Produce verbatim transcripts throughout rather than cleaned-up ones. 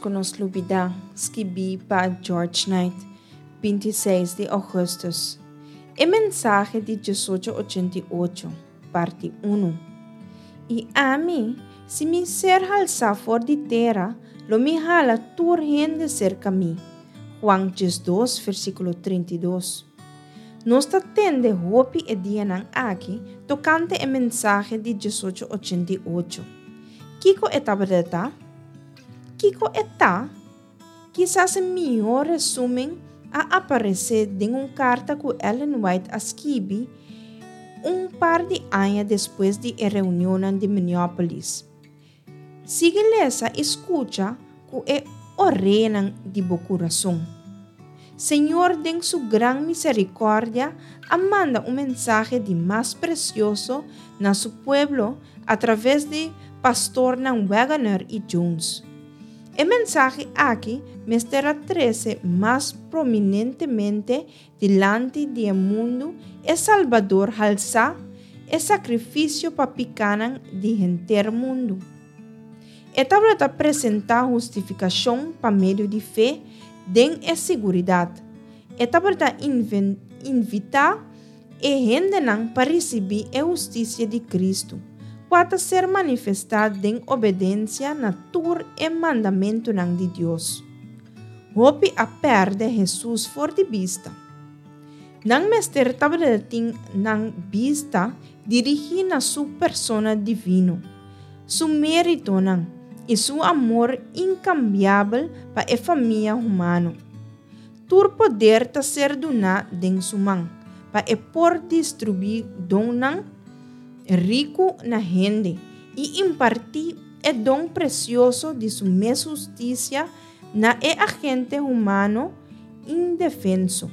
ku nos lubidá, skibí pa George Knight, binti i seis di ougùstùs. E mensahe di diesocho ochenta i ocho, parti unu. I ami, si mi ser halsá for di tera, lo mi hala tur hende serka mi. Juan diesdos, versíkulo trinta i dos. Nos ta tende hopi e dianan aki tokante e mensahe di diesocho ochenta i ocho. Kiko e tabata ta? Kiko e ta? Kisas e mihó resúmen a aparesé den un karta ku Ellen White a skibi un par di aña despues di e reunionnan di Minneapolis. Sigui lesa i skucha ku e oreanan di bo kurason. Señor den su gran miserikòrdia a manda un mensahe di mas presioso na su pueblo a traves di pastornan Waggoner i Jones. E mensahe aki mester a trese mas prominentemente dilanti di e mundu e Salbador halsá, e sakrifisio pa pikánan di henter mundu. E tabata presentá hustifikashon pa medio di fe den e siguridat. E tabata invitá e hendenan pa risibí e hustisia di Kristu, kua ta ser manifestá den obedensia na tur e mandamentunan di Dios. Hopi a pèrdè Hesus for di bista. Nan mester tabata tin nan bista dirigí na su persona divino, su méritonan i su amor inkambiabel pa e famia humano. Tur poder ta ser duná den su man, pa e por distribuí donnan riku na hende i impartí e don presioso di su mes hustisia na e agente humano indefenso.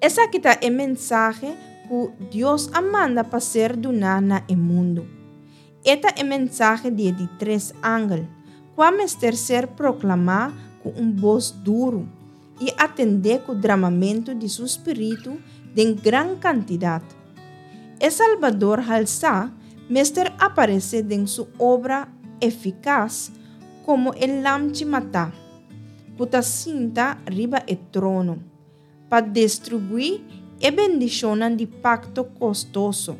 Esaki ta e mensahe ku Dios a manda pa ser duná na e mundu. E ta e mensahe di e di tres angel, kua mester ser proklamá ku un bos duru i atendé ku dramamentu di su spiritu den gran kantidat. E Salbador halsá mester aparesé den su obra efikas komo e Lamchi matá, ku ta sinta riba e trono, pa destribuí e bendishonnan di pakto kostoso,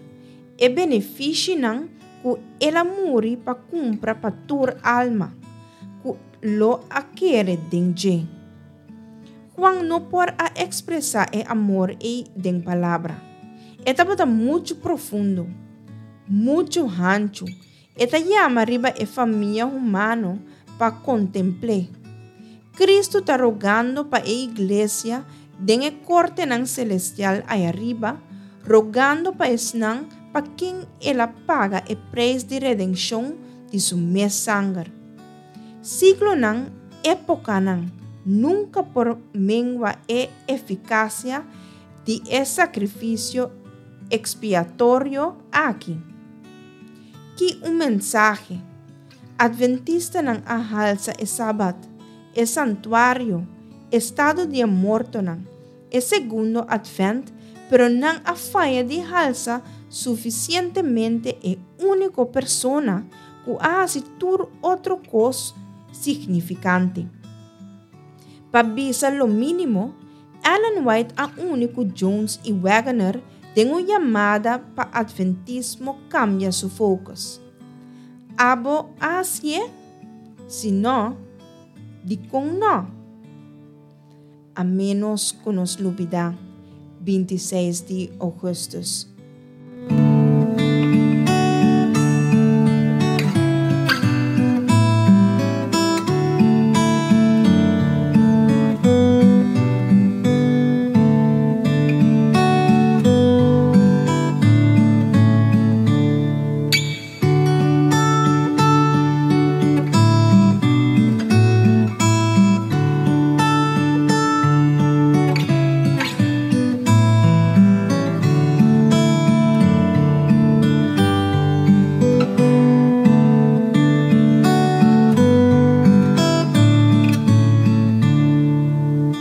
e benefishinan ku el a muri pa kumpra pa tur alma ku lo a kere den dje. Juan no por a ekspresá e amor ei den palabra. E tabata muchu profundo, muchu hanchu. E ta yama riba e famia humano pa kontempl'é. Kristu ta rogando pa e iglesia den e kortenan selestial ayariba, rogando pa esnan pa ken el a paga e preis di redenshon di su mes sanger. Siglonan, épokanan, nunka por mengua e efikasia di e sakrifisio ekspiatorio aki. Ki un mensahe! Adventistanan a halsa e Sabat, e santuario, estado di e mortonan, e segundo Advent, pero nan a faya di halsa sufisientemente e úniko persona ku a hasi tur otro kos signifikante. Pa bisa lo mínimo, Ellen White a uni ku Jones i Waggoner den un yamada pa Adventismo kambia su focus. Abo a hasié? Si no, dikon no? A ménos ku nos lubidá, binti i seis di ougùstùs.